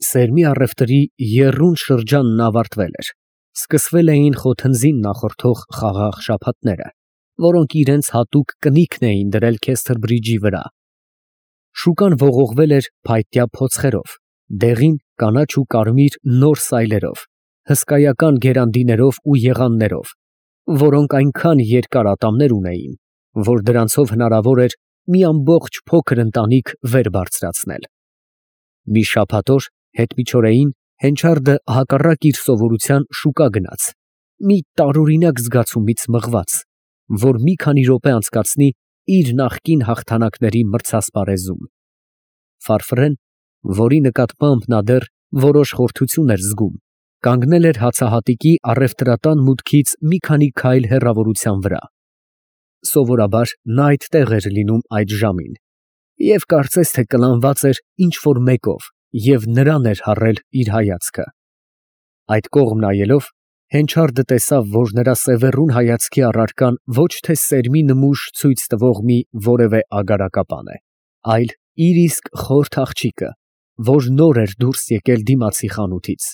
Սերմի առևտրի եռուն շրջանն ավարտվել էր, սկսվել էին խոթնձին նախորդող խաղաղ շաբաթները, որոնք իրենց հատուկ կնիքն էին դրել Քեսթրբրիջի վրա։ Շուկան ողողվել էր փայտյա փոցխերով, դեղին, կանաչ ու կարմիր նոր սայլերով, հսկայական գերանդիներով ու եղաններով, որոնք այնքան երկար ատամներ ունեին, որ դրանցով հնարավոր էր մի ամբողջ փոքր ընտանիք վեր բարձրացնել։ Մի շաբաթ օր հետմիջօրեին Հենչարդը հակառակ իր սովորության շուկա գնաց, մի տարօրինակ զգացումից մղված, որ մի քանի րոպե անցկացնի իր նախկին հաղթանակների մրցասպառեզում։ Ֆարֆրեն, որի նկատմամբ նա դեռ որոշ խորթություն էր զգում, կանգնել էր հացահատիկի առևտրատան մուտքից մի քանի քայլ հեռավորության վրա։ Սովորաբար նա այդտեղ էր լինում այդ ժամին, և կարծես թե կլանված էր ինչ֊որ մեկով և նրան էր հառել իր հայացքը։ Այդ կողմ նայելով, Հենչարդը տեսավ, որ նրա սևեռուն հայացքի առարկան ոչ թե սերմի նմուշ ցույց տվող մի որևէ ագարակապան է, այլ իր իսկ խորթ աղջիկը, որ նոր էր դուրս եկել դիմացի խանութից։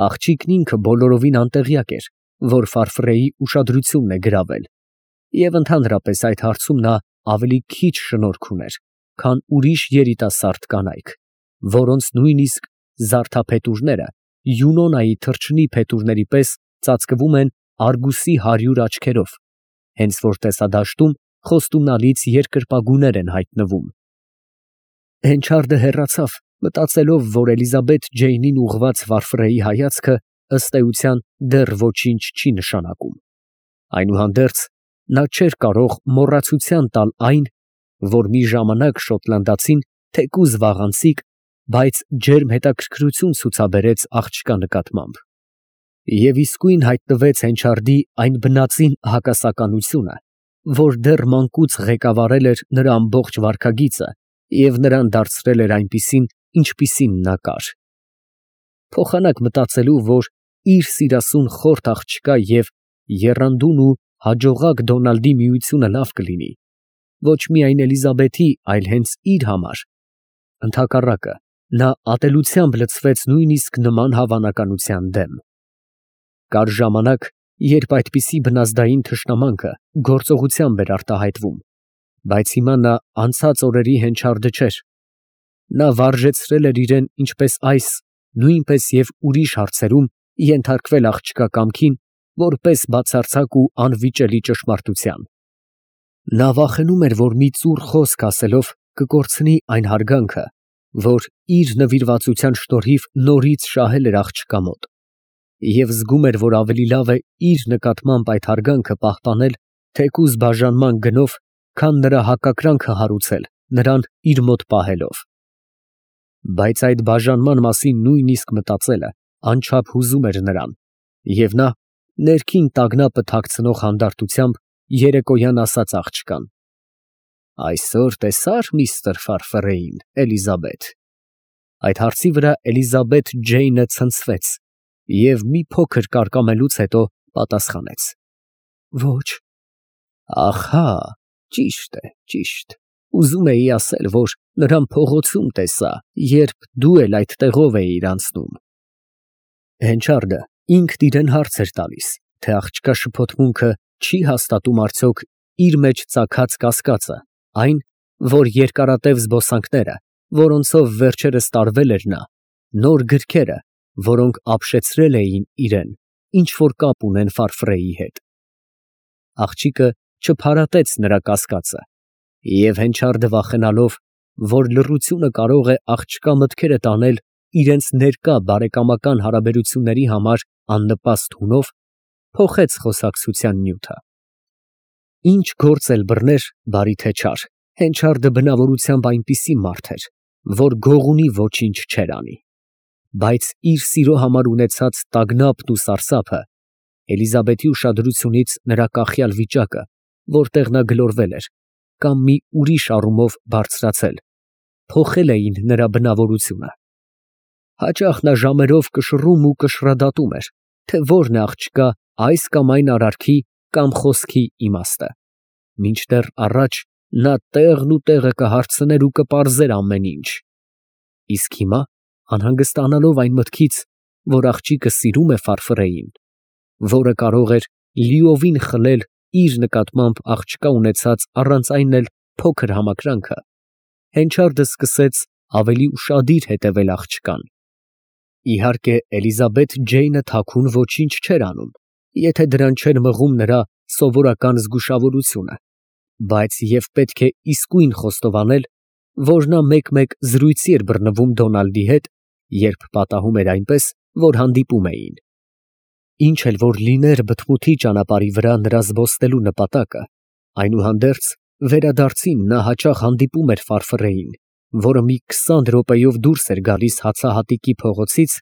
Աղջիկն ինքը բոլորովին անտեղյակ էր, որ Ֆարֆրեի ուշադրությունն է գրավել, և ընդհանրապես այդ հարցում նա ավելի քիչ շնորք ուներ, քան ուրիշ երիտասարդ կանայք, որոնց նույնիսկ զարդափետուրները Յունոնայի թռչնի փետուրների պես ծածկվում են արգուսի 100 աչքերով, հենց որ տեսադաշտում խոստումնալից երկրպագուներ են հայտնվում։ Հենչարդը հեռացավ, մտածելով, որ Էլիզաբեթ Ջեյնին ուղղված Ֆարֆրեի հայացքը ըստ էության դեռ ոչինչ չի նշանակում։ Այնուհանդերձ նա չէր կարող մոռացության տալ այն, որ մի ժամանակ շոտլանդացին թեկուզ վաղանցիկ, բայց ջերմ հետաքրքրություն ցուցաբերեց աղջկա նկատմամբ։ Եվ իսկույն հայտնվեց Հենչարդի այն բնածին հակասականությունը, որ դեռ մանկուց ղեկավարել էր նրա ամբողջ վարքագիծը և նրան դարձրել էր այնպիսին, ինչպիսին նա կար։ Փոխանակ մտածելու, որ իր սիրասուն խորթ աղջկա և եռանդուն ու հաջողակ Դոնալդի միությունը լավ կլինի, ոչ միայն Էլիզաբեթի, այլ հենց իր համար, ընդհակառակը, նա ատելությամբ լցվեց նույնիսկ նման հավանականության դեմ։ Կար ժամանակ, երբ այդպիսի բնազդային թշնամանքը գործողությամբ էր արտահայտվում, բայց հիմա նա անցած օրերի Հենչարդը չէր։ Նա վարժեցրել էր իրեն ինչպես այս, նույնպես և ուրիշ հարցերում ենթարկվել աղջկա կամքին, որպես բացարձակ ու անվիճելի ճշմարտության։ Նա վախենում էր, որ մի ծուռ խոսք ասելով կկորցնի այն հարգանքը, որ իր նվիրվածության շնորհիվ նորից շահել էր աղջկա մոտ, և զգում էր, որ ավելի լավ է իր նկատմամբ այդ հարգանքը պահպանել թեկուզ բաժանման գնով, քան նրա հակակրանքը հարուցել նրան իր մոտ պահելով։ Բայց այդ բաժանման մասին նույնիսկ մտածելը անչափ հուզում էր նրան, և նա ներքին տագնապը թաքցնող հանդարտությամբ երեկոյան ասաց աղջկան. «Այսօր տեսա՞ր միստր Ֆարֆրեին, Էլիզաբեթ»։ Այդ հարցի վրա Էլիզաբեթ Ջեյնը ցնցվեց և մի փոքր կարկամելուց հետո պատասխանեց. «Ոչ»։ Ահա, ճիշտ է, ճիշտ։ Ուզում էի ասել, որ նրան փողոցում տեսա, երբ դու էլ այդ տեղով էիր անցնում։ Հենչարդը ինքն իրեն հարց էր տալիս, թե աղջկա շփոթմունքը չի հաստատում արդյոք իր մեջ ծագած կասկածը, այն, որ երկարատև զբոսանքները, որոնցով վերջերս տարվել էր նա, նոր գրքերը, որոնք ապշեցրել էին իրեն, ինչ֊որ կապ ունեն Ֆարֆրեի հետ։ Աղջիկը չփարատեց նրա կասկածը, և Հենչարդը վախենալով, որ լռությունը կարող է աղջկա մտքերը տանել իրենց ներկա բարեկամական հարաբերությունների համար աննպաստ հունով, փոխեց խոսակցության նյութը։ Ինչ գործ էլ բռներ, բարի թե չար, Հենչարդը բնավորությամբ այնպիսի մարդ էր, որ գողունի ոչինչ չէր անի։ Բայց իր սիրո համար ունեցած տագնապն ու սարսափը, Էլիզաբեթի ուշադրությունից նրա կախյալ վիճակը, որտեղ նա գլորվել էր, կամ մի ուրիշ առումով բարձրացել, փոխել էին նրա բնավորությունը։ Հաճախ նա ժամերով կշռում ու կշռադատում էր, թե որն է աղջկա այս կամ այն արարքի կամ խոսքի իմաստը, մինչդեռ առաջ նա տեղն ու տեղը կհարցներ ու կպարզեր ամեն ինչ։ Իսկ հիմա անհանգստանալով այն մտքից, որ աղջիկը սիրում է Ֆարֆրեին, որը կարող էր լիովին խլել իր նկատմամբ աղջկա ունեցած առանց այն էլ փոքր համակրանքը, Հենչարդը սկսեց ավելի ուշադիր հետևել աղջկան։ Իհարկե, Էլիզաբեթ Ջեյնը թաքուն ոչինչ չէր անում, եթե դրան չէր մղում նրա սովորական զգուշավորությունը, բայց և պետք է իսկույն խոստովանել, որ նա մեկ-մեկ զրույցի էր բռնվում Դոնալդի հետ, երբ պատահում էր այնպես, որ հանդիպում էին։ Ինչ էլ որ լիներ բթմութի ճանապարհի վրա նրա զբոսնելու նպատակը, այնուհանդերձ վերադարձին նա հաճախ հանդիպում էր Ֆարֆրեին, որը մի 20 րոպեով դուրս էր գալիս հացահատիկի փողոցից,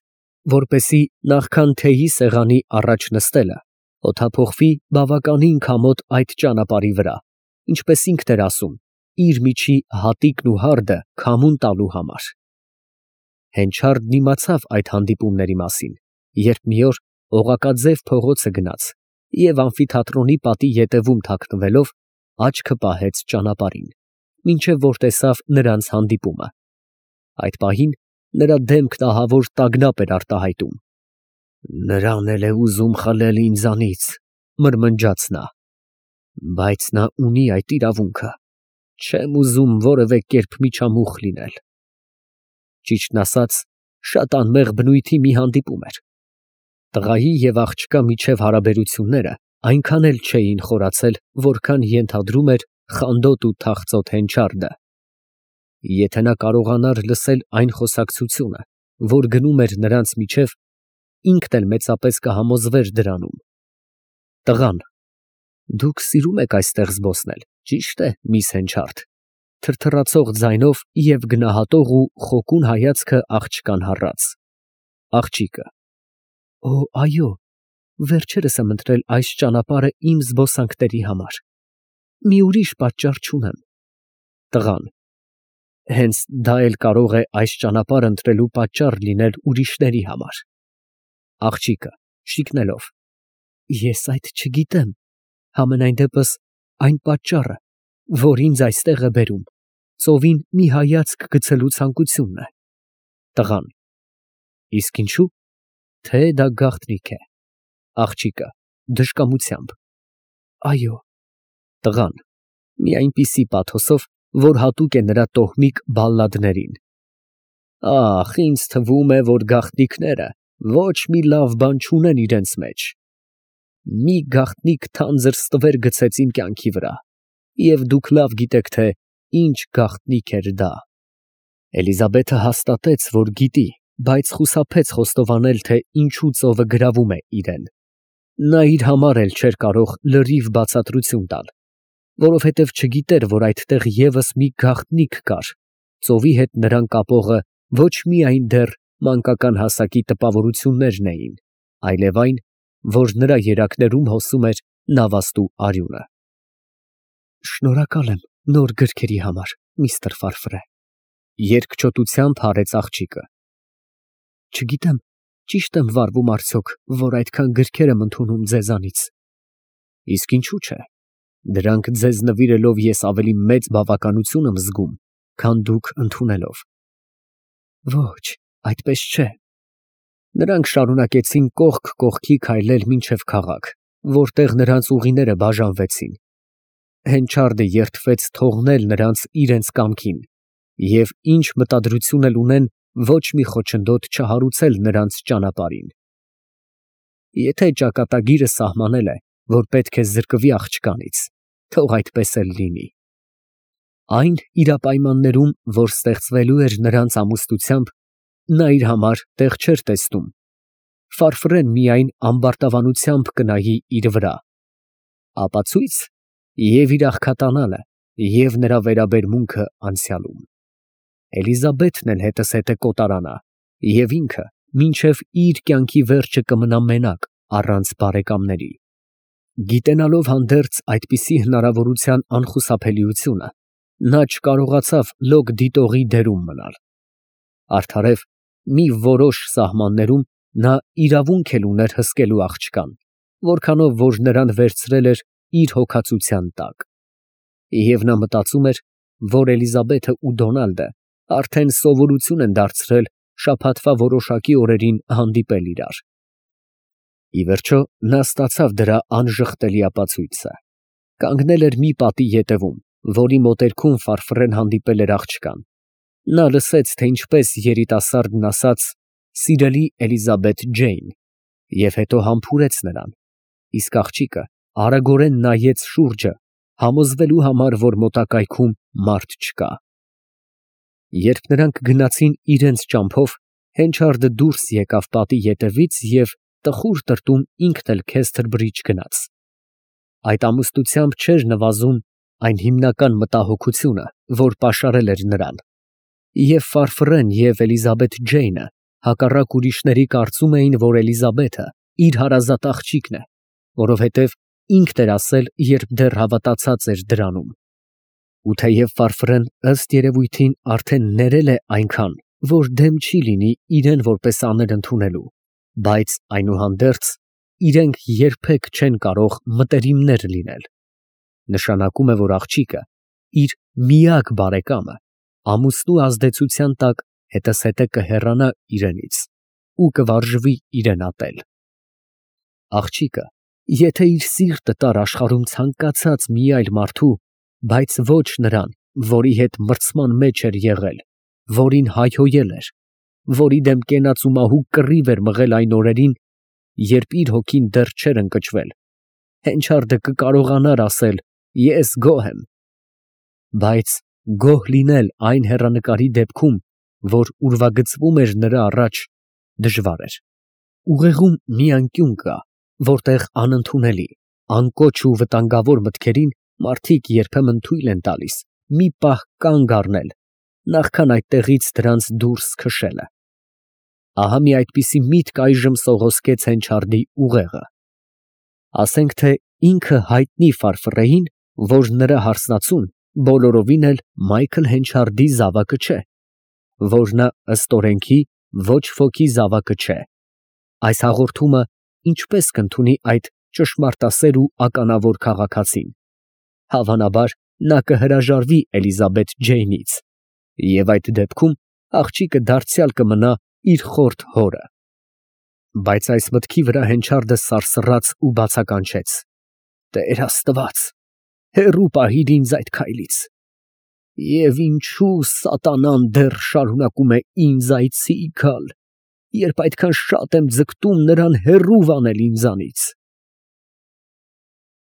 որպեսզի նախքան թեյի սեղանի առաջ նստելը օդափոխվի բավականին քամոտ այդ ճանապարհի վրա, ինչպես ինքն էր ասում, իր միջի հատիկն ու հարդը քամուն տալու համար։ Հենչարդն իմացավ այդ հանդիպումների մասին, երբ մի օր օղակաձև փողոցը գնաց և ամֆիթատրոնի պատի ետևում թաքնվելով աչքը պահեց ճանապարհին, մինչև որ տեսավ նրանց հանդիպումը։ Այդ պահին նրա դեմքն ահավոր տագնապ էր արտահայտում։ «Նրան էլ է ուզում խլել ինձանից», մրմնջաց նա, «բայց նա ունի այդ իրավունքը, չեմ ուզում որևէ կերպ միջամուխ լինել»։ Ճիշտն ասած, շատ անմեղ բնույթի մի հանդիպում էր։ Տղայի և աղջկա միջև հարաբերությունները այնքան էլ չէին խորացել, որքան ենթադրում էր խանդոտ ու թախծոտ Հենչարդը։ Եթե նա կարողանար լսել այն խոսակցությունը, որ գնում էր նրանց միջև, ինքն էլ մեծապես կհամոզվեր դրանում։ Տղան. «Դուք սիրում եք այստեղ զբոսնել, ճիշտ է, միս Հենչարդ», թրթռացող ձայնով և գնահատող ու խոկուն հայացքը աղջկան հառաց։ Աղջիկը. «Օ, այո, վերջերս եմ ընտրել այս ճանապարհը իմ զբոսանքների համար, մի ուրիշ պատճառ չունեմ»։ Տղան. «Հենց դա էլ կարող է այս ճանապարհը ընտրելու պատճառ լինել ուրիշների համար»։ Աղջիկը շիկնելով. «Ես այդ չգիտեմ, համենայն դեպս այն պատճառը, որ ինձ այստեղ է բերում, ծովին մի հայացք գցելու ցանկությունն է»։ Տղան. «Իսկ ինչու՞։ Թե դա գաղտնիք է»։ Աղջիկը դժկամությամբ. «Այո»։ Տղան մի այնպիսի պաթոսով, որ հատուկ է նրա տոհմիկ բալլադներին. «Ախ, ինձ թվում է, որ գաղտնիքները ոչ մի լավ բան չունեն իրենց մեջ։ Մի գաղտնիք թանձր ստվեր գցեց իմ կյանքի վրա, և դուք լավ գիտեք, թե ինչ գաղտնիք էր դա»։ Էլիզաբեթը հաստատեց, որ գիտի, բայց խուսափեց խոստովանել, թե ինչու ծովը գրավում է իրեն։ Նա իր համար էլ չէր կարող լրիվ բացատրություն տալ, որովհետև չգիտեր, որ այդտեղ ևս մի գաղտնիք կար, ծովի հետ նրան կապողը ոչ միայն դեռ մանկական հասակի տպավորություններն էին, այլև այն, որ նրա երակներում հոսում էր նավաստու արյունը։ «Շնորհակալ եմ նոր գրքերի համար, միստր Ֆարֆրե», երկչոտությամբ հարեց աղջիկը։ «Չգիտեմ, ճիշտ եմ վարվում արդյոք, որ այդքան գրքեր եմ ընդունում ձեզանից»։ «Իսկ ինչու՞ չէ, դրանք ձեզ նվիրելով ես ավելի մեծ բավականություն եմ զգում, քան դուք ընդունելով»։ «Ոչ, այդպես չէ»։ Նրանք շարունակեցին կողք կողքի քայլել մինչև քաղաք, որտեղ նրանց ուղիները բաժանվեցին։ Հենչարդը երդվեց թողնել նրանց իրենց կամքին, և ինչ մտադրություն էլ ունեն, ոչ մի խոչընդոտ չհարուցել նրանց ճանապարհին։ Եթե ճակատագիրը սահմանել է, որ պետք է զրկվի աղջկանից, թող այդպես էլ լինի։ Այն իրապայմաններում, որ ստեղծվելու էր նրանց ամուսնությամբ, նա իր համար տեղ չէր տեսնում։ Ֆարֆրեն միայն ամբարտավանությամբ կնայի իր վրա։ Ապացույց և իր աղքատանալը, և նրա վերաբերմունքը անցյալում։ Էլիզաբեթն էլ հետզհետե կոտարանա, և ինքը մինչև իր կյանքի վերջը կմնա մենակ, առանց բարեկամների։ Գիտենալով հանդերձ այդպիսի հնարավորության անխուսափելիությունը, նա չկարողացավ լոկ դիտողի դերում մնալ։ Արդարև, մի որոշ սահմաններում նա իրավունք էլ ուներ հսկելու աղջկան, որքանով որ նրան վերցրել էր իր հոգածության տակ։ Եվ նա մտածում էր, որ Էլիզաբեթը ու Դոնալդը արդեն սովորություն են դարձրել շաբաթվա որոշակի օրերին հանդիպել իրար։ Ի վերջո նա ստացավ դրա անժխտելի ապացույցը։ Կանգնել էր մի պատի ետևում, որի մոտերքում Ֆարֆռեն հանդիպել էր աղջկան։ Նա լսեց, թե ինչպես երիտասարդն ասաց «Սիրելի Էլիզաբեթ Ջեյն» և հետո համբուրեց նրան, իսկ աղջիկը արագորեն նայեց շուրջը, համոզվելու համար, որ մոտակայքում մարդ չկա։ Երբ նրանք գնացին իրենց ճամփով, Հենչարդը դուրս եկավ պատի ետևից և տխուր տրտում ինքն էլ Քեսթրբրիջ գնաց։ Այդ ամուսնությամբ չէր նվազում այն հիմնական մտահոգությունը, որ պաշարել էր նրան։ Եվ Ֆարֆռեն և Էլիզաբեթ Ջեյնը հակառակ ուրիշների կարծում էին, որ Էլիզաբեթը իր հարազատ աղջիկն է, որովհետև ինքն էր ասել, երբ դեռ հավատացած էր դրանում։ Ու թեև Ֆարֆռեն ըստ երևույթին արդեն ներել է այնքան, որ դեմ չի լինի իրեն որպես աներ ընդունելու, բայց այնուհանդերձ իրենք երբեք չեն կարող մտերիմներ լինել։ Նշանակում է, որ աղջիկը իր միակ բարեկամը ամուսնու ազդեցության տակ հետզհետե կհեռանա իրենից ու կվարժվի իրեն ատել։ Աղջիկը, եթե իր սիրտը տար աշխարհում ցանկացած մի այլ մարդու, բայց ոչ նրան, որի հետ մրցման մեջ էր եղել, որին հայհոյել էր, որի դեմ կենաց ու մահու կռիվ էր մղել այն օրերին, երբ իր հոգին դեռ չէր ընկճվել, Հենչարդը կկարողանար ասել «Ես գոհ եմ», բայց գոհ լինել այն հեռանկարի դեպքում, որ ուրվագծվում էր նրա առաջ, դժվար էր։ Ուղեղում մի անկյուն կա, որտեղ անընդունելի, անկոչ ու վտանգավոր մտքերին մարդիկ երբեմն թույլ են տալիս մի պահ կանգ առնել, նախքան այդտեղից դրանց դուրս քշելը։ Ահա մի այդպիսի միտք այժմ սողոսկեց Հենչարդի ուղեղը։ Ասենք թե ինքը հայտնի Ֆարֆռեին, որ նրա հարսնացուն բոլորովին էլ Մայքլ Հենչարդի զավակը չէ, որ նա ըստ օրենքի ոչ ոքի զավակը չէ։ Այս հաղորդումը ինչպես կընդունի այդ ճշմարտասեր ու ականավոր քաղաքացին։ Հավանաբար նա կհրաժարվի Էլիզաբեթ Ջեյնից, և այդ դեպքում աղջիկը դարձյալ կմնա իր խորթ հորը։ Բայց այս մտքի վրա Հենչարդը սարսռաց ու բացականչեց. «Տեր Աստված, հեռու պահիր ինձ այդ քայլից։ Եվ ինչու սատանան դեռ շարունակում է ինձ այցի գալ, երբ այդքան շատ եմ ձգտում նրան հեռու վանել ինձանից»։